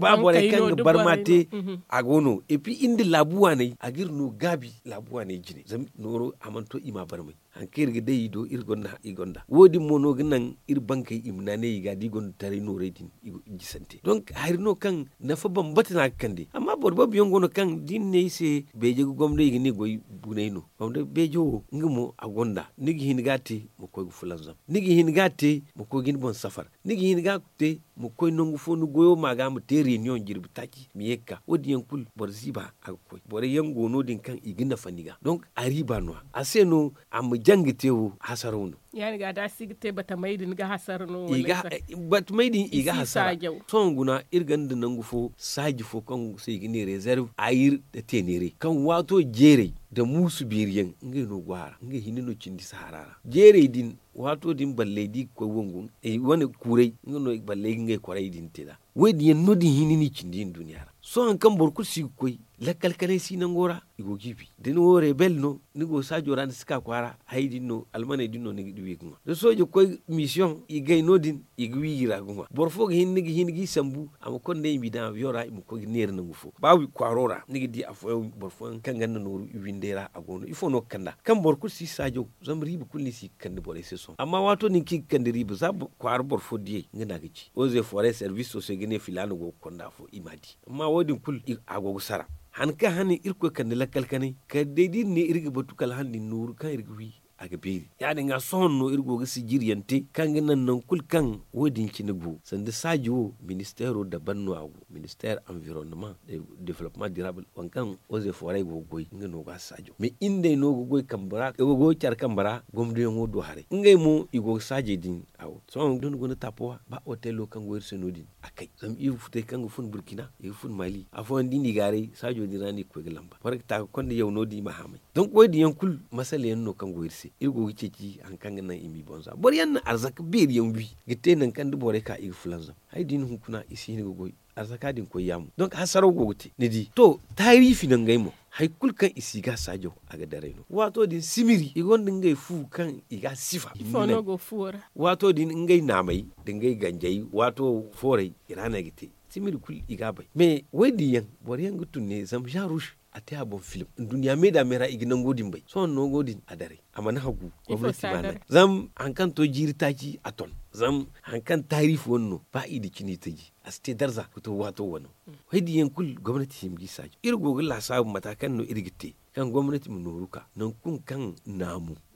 ba borey kaŋ ga barma te a go no epi iri nda laabu waaney a ga iri no gaabi laabu waaney jine zama nooro a mana to i ma a barmay. Hari kaŋ iri ga day i do iri gonda i gonda wo- din mo no ga naŋ iri bankey i ma naanay i ga da i gonda taray noorey din. I go ga gisante donk hari no kaŋ nafa bambata no a ga kande amma boro boobo yaŋ go no kaŋ da i na ne i se beeje ga gomdo i ga ne goy bunay no. Gomdo beeje wo nga mo a gonda ni ga hin ga a te ma koy ga fulanzam ni ga hin ga a te ma koy ga ni boŋ safar ni ga hin ga a te ma koy nangu fo ni goyo ma ga ma te reunion jirbi taaci ma ye ga ka wo- din yaŋ kulu boro ziiba a ga koy borey yaŋ go no- din kaŋ i ga nafa ni ga donk a riiba no- ya a se no a ma jaŋ ga te wo hasaraw no. Ya- din ga da a si ga te batamey din ga hasara no wala i ga hasara. Sohõ guna iri gonda nangu fo saaji fo kaŋ se i ga ne rezerv ayir nda teeneeray kaŋ waato jeeray nda muusu beeri yaŋ ngey no go a ra ngey hinne no cindi sahara ra. Jeeray din waato din balley da i ga koy wangu wane kuuray nga no balley ga ngey kwaray din te nd'a. Wo- din yaŋ no- din hinne no i cindi nduuniya ra. Sohõ hari kaŋ boro kulu si ga koy lakkal kanay si nango ra i go ga i bi da ni wo rebel no ni go saajo ra ni si ka kwaara hayey din no almaney din no ni ga wi ga ŋwa da soojo koy misiyoŋ i gay no- din i ga wi i ra ga ŋwa boro fo ga hin ni ga hin ga i sambu a ma konda i ma i daŋ abiyoŋ ra i ma koy ga neera nangu fo ba wi kwaaro ra ni ga di afooyaŋ boro fooyaŋ kaŋ gonda nooru i windey ra a go no ifo no ga kand'a kaŋ boro kulu si saajo zama riiba kulu no i si ga kande borey se sohõ amma waato din kaŋ i ga kande riiba za kwaara boro fo diyey nga no a ga ci oze foore serviso se ga ne filaana go ga konda afo i m'a di amma wo- din kulu a go ga sara. Han kaŋ hane irkoy kande lakkal kanay kala day da iri ne iri ga batu kala han din nooru kaŋ iri ga wi a ga beeri ya- din ga sohõ no iri go ga sijiryaŋ te kaŋ ga naŋ nangu kulu kaŋ wo- din cine go sanda saaji wo ministeero daban no a go ministeer anvironnama development dirabul waŋ kaŋ oze fooray go ga goy nga no ga a saajo mais iri nd'ey no ga goy kambe ra care kambe ra gomdoyaŋo do haray ngey mo i go ga saajey din. Awo sohõ da ni guna taapowa ba otelo kaŋ go iri se no- din a kay zama iri ga futay kaŋ ga fun burkina i ga fun mali afooyaŋ da i n'i gaaray saajo din ra no i ga koy ga lamba boro ga ta ga konda yaw no- din i ma haamay. Donk wo- din yaŋ kulu masala yaŋ no kaŋ go iri se iri go ga ceeci hari kaŋ ga naŋ i m'i boŋ za boro yaŋ na arzaka beeri yaŋ wi ga te nangu kaŋ da borey ka i ga fulanzam hari da i na hunkuna i si hin ga goy. Arzaka din koy yaamo donk hasaraw go ga te ni di to taariifi no ngey mo hari kulu kaŋ i si ga a saajaw a ga daray no waato din simiri i gonda ngey fu kaŋ i ga a sifa. Waato din ngey naamey nda ngey ganjey waato fooray i ra no ay ga te simiri kulu i ga a bay mais wo- din yaŋ boro yaŋ ga tun ne zama za rush a te a boŋ film nduɲɲa me da me ra i ga nango din bay sohõ nango din a daray a mana hagu gomnati ma naŋ zama hari kaŋ to jiiri taaci a ton zama hari kaŋ taariifi wane no ba i da cine i taji a si te darza ga to waato wane wo- din yaŋ kulu gomnati hima ga i saajo iri go ga laasaabu mata kaŋ no iri ga te kaŋ gomnati ma nooru ka nangu kulu kaŋ naamu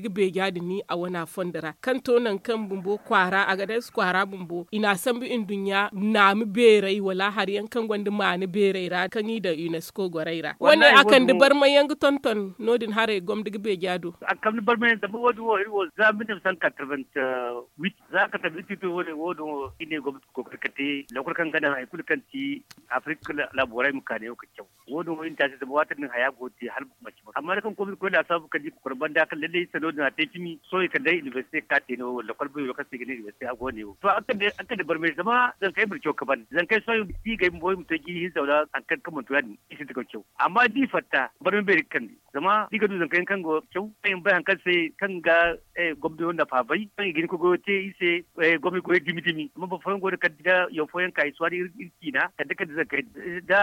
gomni ga beeja din a wana fondo ra kaŋ to nangu kaŋ bumbo kwaara a ga day si kwaara bumbo i n'a sambu nduɲɲa naami beeray wala hari yaŋ kaŋ gonda maani beeray ra kaŋ i daŋ unesco gorey ra wane a kande barmay yaŋ ga tonton no- din haray gomni ga beeja do. A ga kamni barmay yaŋ zama wo- din wo iri wo za mil neef san katarbent wiit za ka tabi iri tito wo- din wo- din i ne gomni ga koy ga te lakkol kaŋ ga naŋ hari kulu kaŋ ti afirika laabo ra i ma ka neewo ga caw. Wo- din wo iri na te a se zama waati din haya go ga te hala manci boro amma da kaŋ koy ma iri koy laasaabu kala da i ga kor banda kaŋ lallay sanno din a te cimi sohõ i kala day inibersite ga ka te no wala lakkol bayro kaŋ se i ga ne inibersite a go ne wo to araŋ kande barmay zama zankey ma iri caw ga ban zankey sohõ i ga di ga ay bumbo i ma to jiiri hinza wala hari kaŋ kaŋ mana to ya- din i sinda ga caw. Amma da i fatta barmay beeri ga kande zama da i ga du zankey yaŋ kaŋ go ga caw kaŋ i ma bay hari kaŋ se kaŋ ga gomno nafa bay kaŋ i ga hin ga goyo te iri se. Gomno goyo dumi dumi amma boro fooyaŋ go no kala da yaŋ fooyaŋ ka i si waani iri ciina kala da kala da zankey da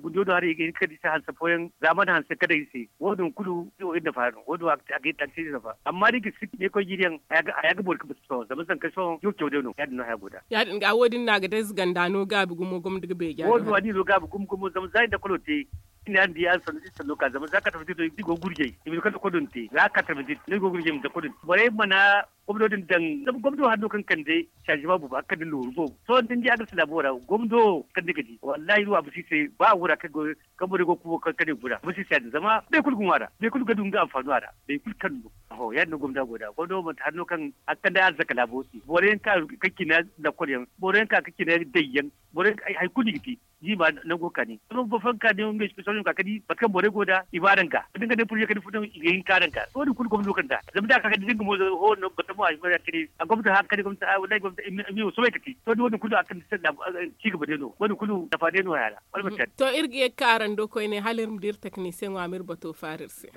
gundiyo no haray i ga hin ga kala da i se hanse fooyaŋ zaamani hanse kala da iri se. Wo- din kulu iri wo iri nafa no wo- din wo a ga te a ga te iri nafa amma da i ga si ne koy jiiri yaŋ haya ga boori ga batu sohõ zama zankey sohõ iri wo ga caw day no ya- din no haya go nd'a. Ya- din ga wo- din no a ga day ziganda no gaabi gumo gomni ga beeja wo- din wo a di no gaabi gumo gumo zama za iri lakkolo te iri ne araŋ di araŋ sanno da iri sanno ka zama za katta fo din no iri go ga gurjay i ma hin ga kala lakkolo din te za katta fo din no iri go ga gurjay i ma hin ga lakkolo din te borey mana gomno din daŋ zama gomno hari no kaŋ kande saazima boobo a ga kande nooru boobo sohõ da ni di a ga si laabo ra gomno wo kaŋ ni ga di wallahi iri wo a ma si se ba a wura kaŋ go kaŋ borey go ga kuubo kaŋ kande gura a ma si se ya- din zama boro kulu ga ŋwa a ra boro kulu ga du nga anfaano a ra boro kulu kaŋ no. Aho ya- din no gomno a go nd'a gomno wo manti hari no kaŋ a ga kande arzaka laabo se boro yaŋ ka ga cina lakkol yaŋ boro yaŋ ka ga cina day yaŋ boro yaŋ hari kulu no i ga te jiima nango kaani zama boro fooyaŋ ka ne ngey special no ka ga di mate kaŋ borey go nd'a i ma araŋ ga da nga ne purje kala ni furo i ga hin ka araŋ ga wo- din kulu gomno kaŋ nd'a zama da a ka ga di da nga mo hoo no batamo a si ma ya kine a gomno hari kaŋ ne gomno wallahi gomno i ma i ma soobay ga te to- din wo- din kulu a ga kande sanda ciigaba day no wo- din kulu nafa day no haya ra wala manti ya- din. To iri ga ye ga ka araŋ do koyne hala iri ma di iri teknisiyeŋo a ma iri bato faara iri se.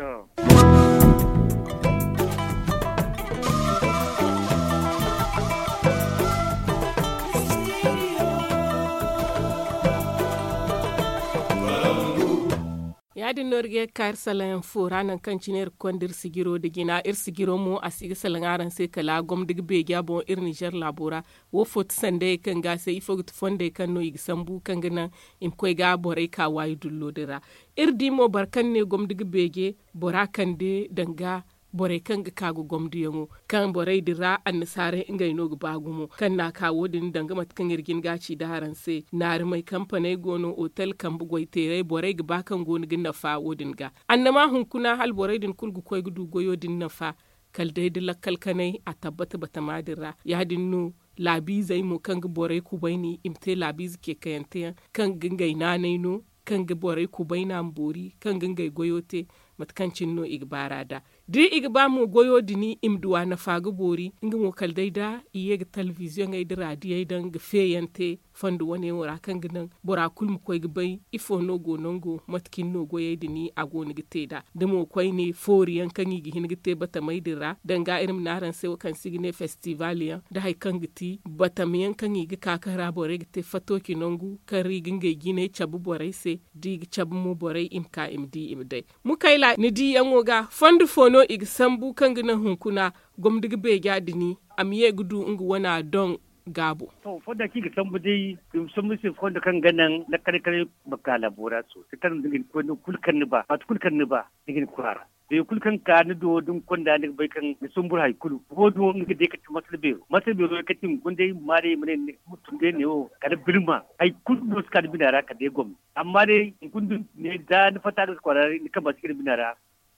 Ya- din no iri ga ye ga ka iri salaŋ yaŋ fo ra nangu kaŋ cine iri ga konda iri sijiro nda jina iri sijiro mo a si ga salaŋ araŋ se kala gomni ga beeja boŋ iri nizer laabo ra. Wo fo ti sandayey kaŋ ga se ifo ga ti fondey kaŋ no i ga sambu kaŋ ga naŋ i ma koy ga borey ka waayi dullo din ra. Iri di mo boro kaŋ ne gomni ga beeje bora kande danga borey kaŋ ga ka ga gomdiyaŋo kaŋ borey din ra annasaarey ngey no ga ba gumo kaŋ n'a ka wo- din danga mate kaŋ iri jin ga a ci nda araŋ se naarimey kampaney go no otel kambe goyteerey borey ga ba kaŋ go no ga nafa wo- din ga. Annama hunkuna hala borey din kulu ga koy ga du goyo din nafa kala day da lakkal kanay a tabbata batama din ra ya- din no laabiizey mo kaŋ ga borey kubayni i ma te laabiize ceekayante yaŋ kaŋ ga ngey naanay no kaŋ ga borey kubayna ma boori kaŋ ga ngey goyo te. Mate kaŋ cine no i ga baar'a nd'a da i ga ba mo goyo din i ma duw'a nafa ga boori nga mo kala day da i ye ga telebiziyoŋey nda raadiyey daŋ ga feeyaŋ te fondo wane wo ra kaŋ ga naŋ bora kulu ma koy ga bay ifo no go nango mate cine no goyey din a go no ga te nd'a da mo koyne foori yaŋ kaŋ i ga hin ga te batamey din ra danga iri ma ne araŋ se wo kaŋ se i ga ne festival yaŋ da hari kaŋ ga ti batama yaŋ kaŋ i ga ka kaŋ ra borey ga te fatooci nangu kaŋ ra i ga ngey jinay cabe borey se da i ga cabe mo borey i ma ka i ma di i ma day. Mukayla ni diyaŋo ga fondo fo no i ga sambu kaŋ ga naŋ hunkuna gomni ga beeja din a ma ye ga du nga wana doŋ gaabo. To fonda kaŋ i ga sambu day, i ma sambu se fonda kaŋ ga naŋ lakkale kala ma ka laabo ra sosai kaŋ ni ga ni koy nangu kulu kaŋ ni ba waati kulu kaŋ ni ba, ni ga ni koy a ra. Beeri kulu kaŋ ka ni do da ni konda ni ga bay kaŋ ni sumbur hari kulu wo- din wo nga ga day kala ti masala beero masala beero yaŋ kala ti i ma guna day i ma maa day i ma ne ni ma tun day neewo kala birma hari kulu no si ka ni bina ra kala day gomni. Amma day hunkuna da ni fatta ga kwaara ni kamba si ka ni bina ra.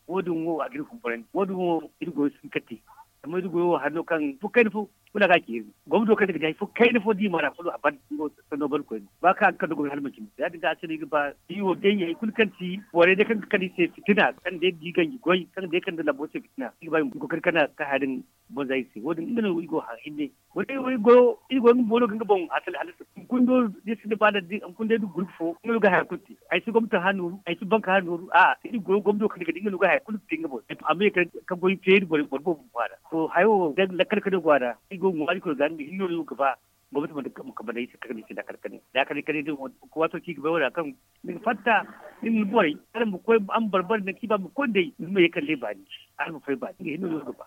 Wo- din wo a ga iri humburandi wo- din wo iri goyo si hin ka te. Zama iri goyo wo hari no kaŋ fo kayna fo kulu a ga a ci iri. Gomni do kaŋ ni ga di hari fo kayna fo da i maa ra kulu a ban nga wo sanno ban koyne ba kaŋ a ga kande gomni hala manci no ya- din ga a se no iri ga ba iri wo day hari kulu kaŋ ti borey day kaŋ ga kande iri se fitina kaŋ day ga di ganji goy kaŋ day ga kande labo se fitina iri ga ba iri ma koy ga kande ka haya din. Bonza iri se wo- din nga no iri go hã hinne. Wala iri go iri go nga boono ga nga boŋ hasali hala se hunkuna do da iri sinda ba da hunkuna day da gurbi fo nga no ga haya kulu te. Ay si gomni taŋ hã nooru ay si banka hã nooru a iri go gomni do kaŋ ni ga di nga no ga haya kulu ga te nga boŋ. Amma ye ka goy feeri boro boobo kwaara to haya wo day lakkal kano go a ra iri go ga ŋwaari koy ga nga hinne no iri go ga ba. Gomnati ma kamba day se kaŋ ni se da kala kane da kala kane din wo waato kaŋ i ga bay wo- din a kaŋ ni ga fatta ni ma ni borey araŋ ma koy araŋ ma barbari nangu kaŋ i ba ma koy nd'ey ni ma ye kala day baani. Araŋ ma fay baani nga hinne no iri ga ba.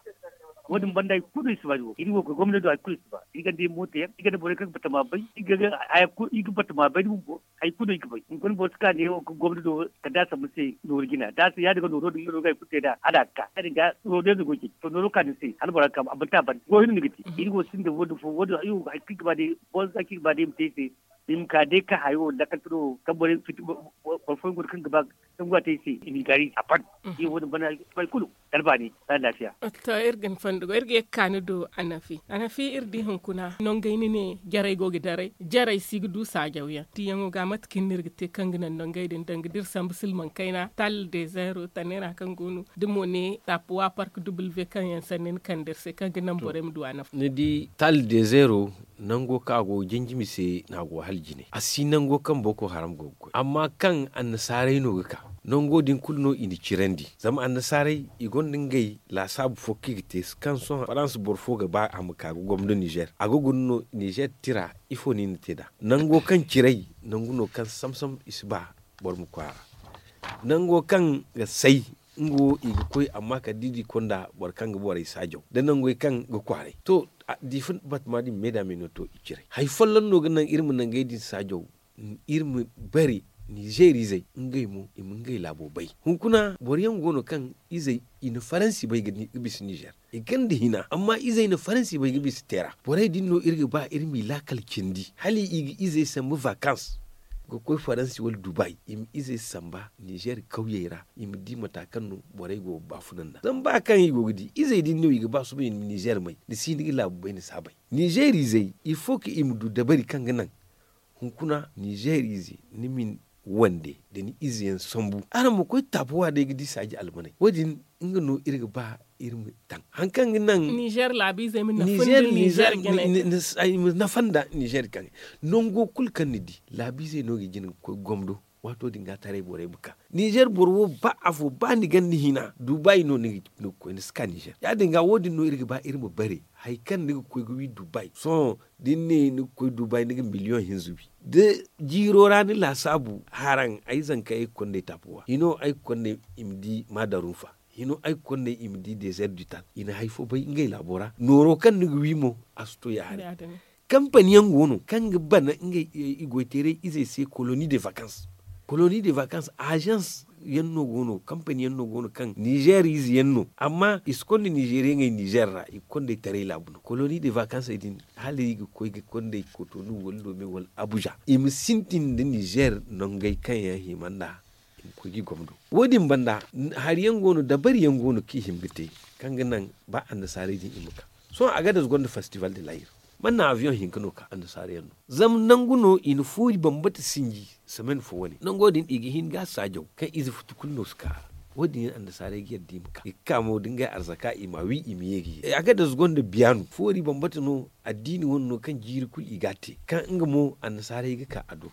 Wo- din banda hari kulu no iri si ba iri wo gomna do hari kulu iri si ba iri gonda iri mooto yaŋ iri gonda borey kaŋ ga batama bay iri ga batama bay da bumbo. Hari kulu no iri ga bay hunkuna boro si ka neewo ga gomna do kala da a sambu ni se nooru jina da a si ya- din ga nooro din nga no ga hari kulu te nd'a hala a ga ka ya- din ga nooro day no go ga ceeci to nooro ka ni se hala bora ga ka a ban te a ban goy hinne no ni ga te. Iri wo sinda wo- din fo wo- din hari kulu iri ga ba day bonza kaŋ iri ga ba day i ma te iri se. I ma ka day ka hayo lakkal tiro kaŋ borey fiti boro fooyaŋ go no kaŋ ga ba kaŋ go a te i se i ma i gaari a ban. Iri wo- din banda hari kulu kala baani. Kala laafiya. To iri ga ni fondo go iri ga ye ga ka ni do anafi anafi iri di hunkuna nongey ni ne jarey go ga daray jarey si ga du saajaw yaŋ tiyaŋo ga mate kaŋ no iri ga te kaŋ ga naŋ nongey din danga da iri sambu silmaŋ kayna tal de zeero tanera kaŋ go no da mo ne taapuwa park duble ve kaŋ yaŋ sanni ni kande iri se kaŋ ga naŋ borey ma du anafi. Ni di tal de zeero nango kaŋ a go ga janjimi se no a go hala jine a si nango kaŋ boko haram go ga koy amma kaŋ annasaarey no ga ka nango din kulu no i na cirandi zama annasaarey i gonda ngey laasaabu fo kaŋ i ga te kaŋ sohõ farans boro fo ga ba a ma ka ga gomdo nizer a ga guna no nizer tira ifo no i na te nd'a nango kaŋ cirey nangu no kaŋ samsam i si ba boro ma koy a ra nango kaŋ ga say nga wo i ga koy amma kala da i di konda boro kaŋ ga borey saajaw da nangey kaŋ ga kwaaray to diifa batama din meeda me no to i ciray hari folloŋ no ga naŋ iri ma nangey din saajaw iri ma bare nizeer izey ngey mo i ma ngey laabo bay hunkuna boro yaŋ go no kaŋ izey i na faransi bay ga bisa nizeer i ganda hina amma izey na faransi bay ga bisa teera borey din no iri ga ba iri m'i laakal cindi hala i ga izey sambu vakans ga koy faransi wala dubay i ma izey samba nizeer kawyey ra i ma di mata kaŋ no borey go ga baafuna nd'a zama ba kaŋ i go ga di izey din no i ga ba sohõ i ma nizeer may ni si ni ga laabu bay ni si a bay nizeer izey il faut que i ma du dabari kaŋ ga naŋ hunkuna nizeer ize ni ma ni wande da ni ize yaŋ sambu araŋ ma koy taapuwa day ga di saaji almaney wo- din nga no iri ga ba iri ma taŋ hari kaŋ ga naŋ nizeer laabiizey ma nafa nda nizeer kaŋ nango kulu kaŋ ni di laabiizey no ga jin ga koy gomdo waato din ga taray borey ma ka nizeer boro wo ba afo ba ni ganda hina dubai no ni ga koy ni si ka nizeer ya- din ga wo- din no iri ga ba iri ma bare hari kaŋ ni ga koy ga wi dubai sohõ da ni ne ni ga koy dubai ni ga miliyoŋ hinza wi da jiiro ra ni laasaabu haraŋ ay zanka ay ga konda ay taapuwa hino ay ga konda i ma di maadarufa hino ay ga konda i ma di dezer dital i na hari fo bay ngey laabo ra nooro kaŋ ni ga wi mo a si to ya- haray kampani yaŋ go no kaŋ ga bana ngey i goy teeray izey se koloni de vakans koloni de vakans azans yaŋ no go no kampani yaŋ no go no kaŋ nizeer ize yaŋ no amma i si konda nizeeriyaŋey nizeer ra i ga konda ay taray laabu no koloni de vakansey din hala i ga koy ga konda ay kotonu wala lome wala abuza i ma sintin nda nizeer nangey kaŋ yaŋ hima nd'a i ma koy ga i gomdo wo- din banda hari yaŋ go no dabari yaŋ go no kaŋ i hima ga te kaŋ ga naŋ ba annasaarey din i ma ka sohõ a ga da za gonda festival de layir man na aviyoŋ hinka no ka annasaara yaŋ no zama nangu no i na foori bambata sinji semaine fo wane nango din i ga hin ga a saajaw kaŋ ize futu kulu no si ka a ra wo- din yaŋ annasaarey ga yadda i ma ka i ga ka mo da ngey arzaka i ma a wi i ma ye ga ye a ga da za gonda biyaanu foori bambata no addiini wane no kaŋ jiiri kulu i ga a te kaŋ nga mo annasaarey ga ka a do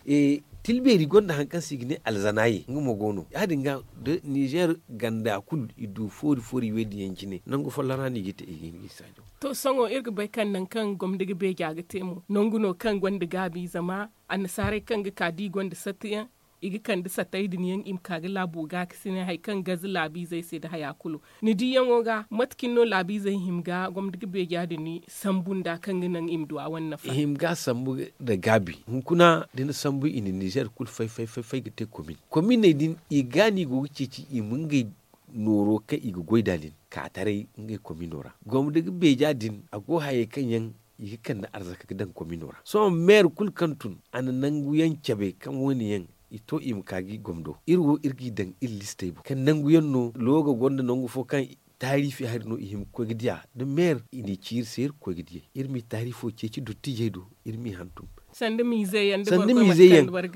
tilbeeri gonda hari kaŋ se i ga ne alzanaye nga mo go no ya- din ga da nizeer ganda kulu i du foori foori wey din yaŋ cine nangu folloŋ ra no i ga te i ga hin ga i saajaw to sohõ iri ga bay kaŋ nangu kaŋ gomni ga beeja ga te mo nangu no kaŋ gonda gaabi zama annasaarey kaŋ ga ka da i gonda sattiyaŋ I ga kande satay din yaŋ i ma ka ga laabo gaakasinay hari kaŋ gaze laabiizey se nda haya kulu. Ni diyaŋo ga mate cine no laabiizey hima ga gomdo ga beeja din sambu nd'a kaŋ ga naŋ i ma du a wane nafa? I hima ga sambu nda gaabi. Hunkuna da ni sambu i na nizer kulu fay fay fay ga te komin kominey din, i ga no i go ga ceeci i ma ngey nooro kaŋ i ga goy nd'a din ka taray ngey komino ra. Gomdo ga beeja din a go hayey kaŋ yaŋ i ga kande arzaka ga daŋ komino ra. Sohõ meer kulu kaŋ tun a na nangu yaŋ cabe kaŋ wo- ne yaŋ i to i ma ka ga i gomdo iri wo iri g'i daŋ iri listey boŋ kaŋ nangu yaŋ no looga gonda nangu fo kaŋ taariifi hari no i hima ga koy ga diya da meer i n'i ci iri se iri ga koy ga diyay iri m'i taariifo ceeci dottiijey do. Iri m'i hantum sanda miize yaŋ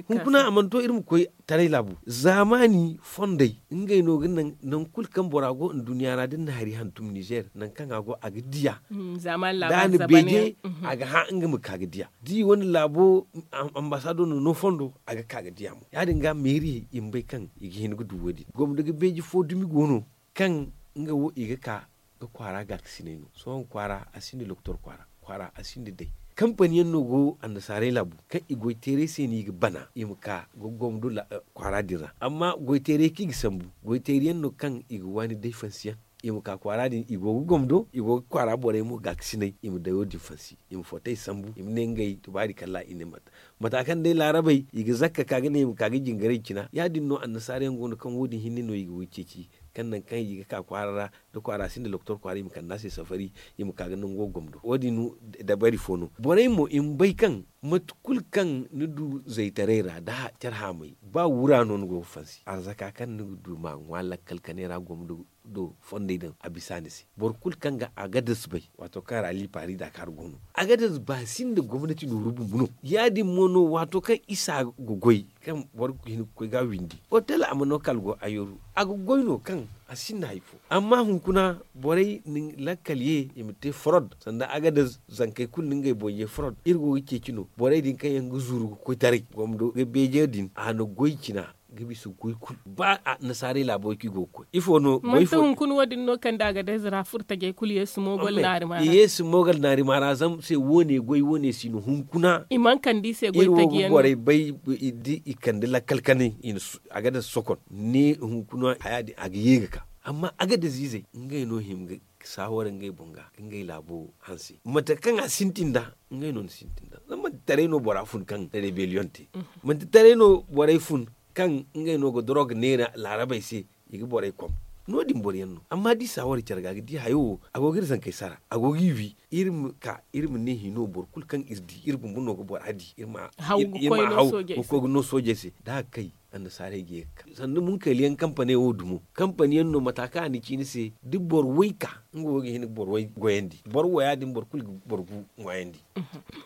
hunkuna a mana to iri ma koy taray laabu zaamaani fondey ngey no ga naŋ nangu kulu kaŋ bora go nduɲɲa ra da ni na hari hantum nizer nangu kaŋ a go a ga diya da a na beeje a ga hã nga ma ka ga diya da i wane laabo ambasaado no no fondo a ga ka ga diya mo ya- din ga meeriyey i ma bay kaŋ i ga hin ga du wo- din gomdo ga beeji fo dumi go no kaŋ nga wo i ga ka ga kwaara gaakasinay no sohõ kwaara a sinda doktor kwaara kwaara a sinda day kampani yaŋ no go annasaarey laabu kaŋ i goy teeray se no i ga bana i ma ka ga gomdo kwaara din ra amma goy teeray kaŋ i ga sambu goy teeray yaŋ no kaŋ i ga waani day fansi yaŋ i ma ka kwaara din i go ga gomdo i go ga kwaara borey mo gaakasinay i ma dayo din fansi i ma footay sambu i ma ne ngey tubaari kalla i ne mate mata kaŋ day laarabey i ga zakka ka ga ne i ma ka ga jingaray cina ya- din no annasaara yaŋ go no kaŋ wo- din hinne no i ga way ceeci kaŋ nangu kaŋ i ga ka kwaara ra da kwaara sinda doktor kwaara i ma kande a se safari i ma ka ga nango gomdo wo- din dabari fo no borey mo i ma bay kaŋ mate kulu kaŋ ni du zaytaray ra da care haamay ba wura no ni go ga fansi arzaka kaŋ ni ga du ma ŋwa lakkal kanay ra gomdo do fondey din a bisa ni se boro kulu kaŋ ga agadas bay waato kaŋ ra liipaari daakaar go no agadas ba sinda gomnati nooru bumbu no ya- din mo no waato kaŋ isa ga goy kaŋ boro ga hin ga koy ga a windi otel a ma no kala go ayooru a ga goy no kaŋ a sinda hari fo amma hunkuna borey na lakkal ye i ma te forod sanda agadas zankey kulu na ngey boŋ ye forod iri go ga ceeci no borey din kaŋ yaŋ ga zuru ga koy taray gomdo ga beeje din a na goy cina ga bisa goy kulu ba annasaarey laabo kaŋ i go ga koy ifo no manti hunkuna wo- din no kaŋ da agadas ra furtajey kulu yeesu moogol naari ma ra zama se wo- ne goy wo- ne si no hunkuna i mana kande i se goy taji yaŋ no borey bay da i kande lakkal kanay agadas sokon ne hunkuna haya din a ga ye ga ka amma agadas izey ngey no hima ga saawara ngey boŋ ga ga ngey laabo hanse mate kaŋ a sintin da ngey no ni sintin da zama manti taray no bora fun kaŋ rebellion te manti taray no borey fun kaŋ ngey no ga dorog neera laarabey se i ga borey kom no- din boro yaŋ no amma da i saawara care ga ga di hayo wo a go ga iri zankey sara a go ga i wi iri ma ka iri ma ne hino boro kulu kaŋ iri di iri bumbo no ga bora di iri ma haw ga koy ga no soojey se da a ga kay annasaarey ga ye ga ka sanda munkayla yaŋ kampaney wo dumo kampani yaŋ no mata kaŋ a na ci ni se da boro way ka nga wo ga hin ga boro way goyandi boro waya din boro kulu ga boro gu ŋwaayandi.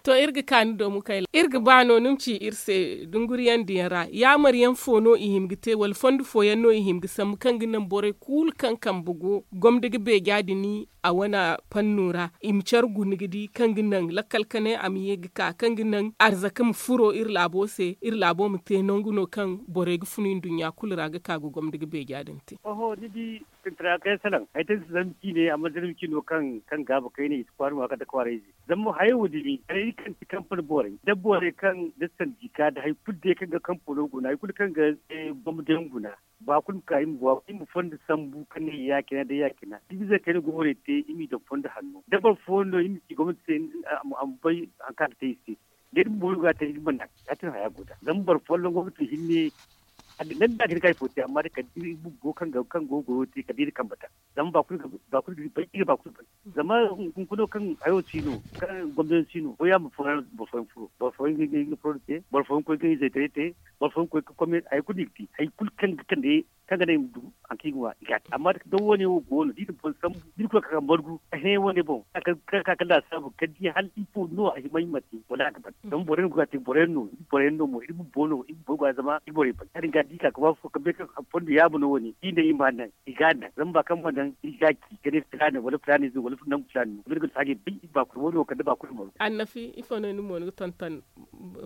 To iri ga ka ni do munkayla iri ga ba no ni ma ci iri se dunguriyandiyaŋ ra yaamar yaŋ fo no i hima ga te wala fondo fooyaŋ no i hima ga sambu kaŋ ga naŋ borey kulu kaŋ kambe go gomdo ga beeja din a wane panno ra i ma care guna ga di kaŋ ga naŋ lakkal kanay a ma ye ga ka kaŋ ga naŋ arzaka ma furo iri laabo se iri laabo ma te nangu no kaŋ borey ga funu nduɲɲa kulu ra ga ka ga gomdo ga beeja din te. Oho ni di sintina kaŋ yaŋ salaŋ hari taŋ si zarma ciine amma zarma ciino kaŋ gaaba kayna i si kwaara ŋwa kala da kwaarayze zama mo hayey wo dumi kala iri kaŋ ti kampani borey da borey kaŋ da sandi ka da hari kulu day kaŋ ga kampano guna hari kulu kaŋ ga gomdo yaŋ guna ba kulu ma ka iri ma fondo sambu kaŋ ne ya-cina da ya-cina da iri zey kaŋ iri go ga warey te iri m'i daŋ fondo hanno da boro fooyaŋ no iri ma ci gomnati se a ma bay hari kaŋ a ga te iri se da iri bumbo iri go ga a te iri mana ya-cine haya go nd'a zama boro folloŋ go ga tun hinne a ga naŋ da a ga hin ga hari fo te amma day kala da iri bumbo kaŋ go ga goyo te kala da iri kambe daŋ zama ba kulu ga bay iri ga ba kulu bay zama hunkuna kaŋ hayo si no kaŋ gomdo yaŋ si no fooyaŋ ma fooyaŋ boro fooyaŋ furo boro fooyaŋ ga i ga furo te boro fooyaŋ koy ga i zaytaray te boro fooyaŋ koy ga kome hari kulu no i ga te hari kulu kaŋ ga kande kaŋ ga naŋ i ma du hari kaŋ i ga ŋwa i ga a te amma da wo- ne wo go no da i na boro sambu da i na koy ga ka ga margu a hẽ wo- ne boŋ kaŋ ga ka ga laasaabu kala da i hala ifo no a hima i ma te wala a ga ban zama boro yaŋ go ga a te boro yaŋ no iri boro yaŋ no mo iri bumbo no iri bumbo ga zama iri borey ban ya- din ga da i ka ga ba fo kaŋ bay kaŋ fondo yaamo no wo- ne da i ne i ma a naŋ i ga a naŋ zama ba kaŋ ma naŋ iri ga a ci ga ne filaana wala filaana ize wala nangu filaana no zama iri ga du saajey bay iri baakuna wo- ne wo kala da baakuna margu. Annafi ifo no ni mo ni ga tonton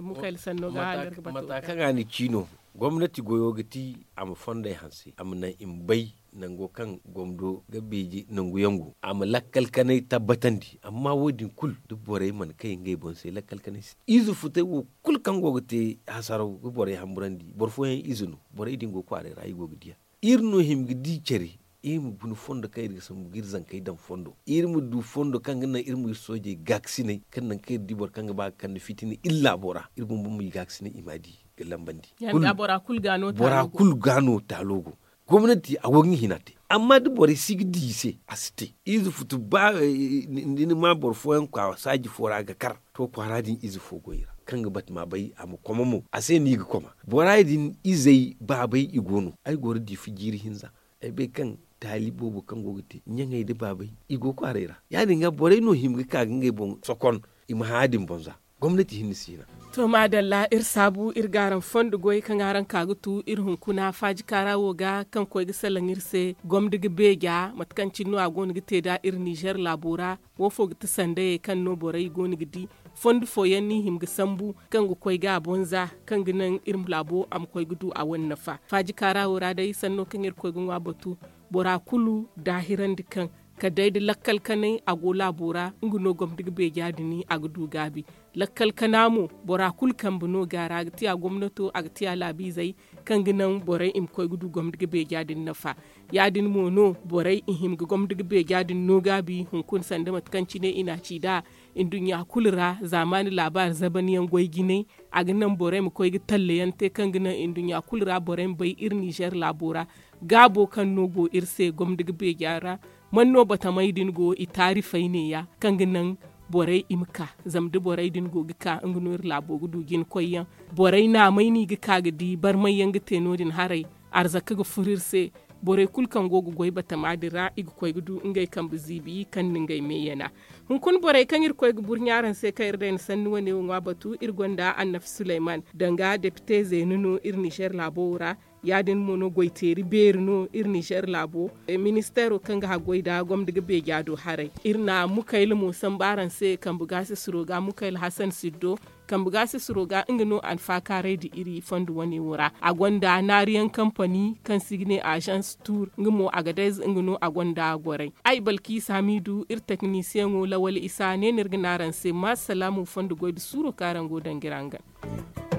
munkayla sanno ga hangar ga batu mata kaŋ a na ci no gomnati goyo ga ti a ma fondey hanse a ma naŋ i ma bay nango kaŋ gomdo ga beeji nangu yaŋ go a ma lakkal kanay tabbatandi. Amma wo- din kulu da borey mana kay ngey boŋ se lakkal kanay se. Ize futay wo kulu kaŋ go ga te hasaraw ga borey hamburandi boro fooyaŋ ize no. Borey din go kwaaray ra i go ga diya. Iri no hima ga di care iri ma guna fondo kaŋ iri ga sambu ga iri zankey daŋ fondo iri ma du fondo kaŋ ga naŋ iri ma iri soojey gaakasinay kaŋ naŋ kaŋ iri di boro kaŋ ga ba ga kande fitina iri laabo ra iri bumbo ma i gaakasinay i m'a di ga lambandi. Bora kulu ga no taalo go. Gomnati a go ga hina te. Amma da borey si ga di i se a si te. Ize futu ba ni ma boro fooyaŋ kwaara saaji fo ra ga kar to kwaara din ize fo go i ra kaŋ ga bati ma bay a ma koma mo a se no i ga koma. Bora din izey baabey i go no ay go ga di fu jiiri hinza. Ay bay kaŋ taali boobo kaŋ go ga te ɲaŋey nda baabey i go kwaaray ra. Ya- din ga borey no hima ga ka ga ngey boŋ sokon i ma hã ya- din boŋ za. Gomnati hinne si hina. To maadalla iri saabu iri ga araŋ fondo goy kaŋ araŋ ka ga tu iri hunkuna faaji kaara wo ga kaŋ koy ga salaŋ iri se gomdi ga beeja mate kaŋ cine no a go no ga te nd'a iri nizer laabo ra. Wo fo ga ti sandayey kaŋ no borey go no ga di fondo fooyaŋ no i hima ga sambu kaŋ ga koy ga a boŋ za kaŋ ga naŋ iri laabo a ma koy ga du a wane nafa faaji kaara wo ra day sanno kaŋ iri koy ga ŋwa batu. Bora kulu daahirandi kaŋ kala day da lakkal kanay a go laabo ra nga no gomdi ga beeja din a ga du gaabi. Lakkal kana mo bora kulu kambe no ga a ra a ga tiya gomnato a ga tiya laabiizey kaŋ ga naŋ borey i ma koy ga du gomdi ga beeja din nafa. Ya- din mo no borey i hima ga gomdi ga beeja din no gaabi hunkuna sanda mate kaŋ cine i n'a ci nd'a nduɲɲa kulu ra zaamaani laabaari zabanyaŋ goy jinay. A ga naŋ borey ma koy ga tallayaŋ te kaŋ ga naŋ nduɲɲa kulu ra borey ma bay iri nizer laabo ra gaabo kaŋ no go iri se gomdi ga beeja ra. Man no batamey din go i taarifey neeya kaŋ ga naŋ borey i ma ka zama da borey din go ga ka nga no iri laabo ga du jina koyyaŋ. Borey naamey no i ga ka ga di barmay yaŋ ga te no- din haray. Arzaka ga furo iri se. Borey kulu kaŋ go ga goy batama din ra i ga koy ga du ngey kambe ziibi kaŋ na ngey meeyana. Hunkuna borey kaŋ iri koy ga burɲa araŋ se kaŋ iri day na sanni wane wo ŋwa batu iri gonda annafi suleyman danga depite zeena no iri nizer laabo wo ra. Ya- din mo no goyteeri beeri no iri nizer laabo. Ministeero kaŋ ga haggoy nda gomda ga beeja do haray iri na mukayla mo sambu araŋ se kambe gaasisiro ga mukayla hasan siddo. Kambe gaasisiro ga nga no alfaakaaray nda iri fondo wane wo ra a gonda naariyaŋ kampani kaŋ se i ga ne azans tuur nga mo agadez nga no a gonda goray. Ay balkiisa hamiidu iri teknisiyeŋo lawal isa ne no iri ga ne araŋ se ma salaamu fondo goy nda suuro kaŋ araŋ go ga danga iri hangan.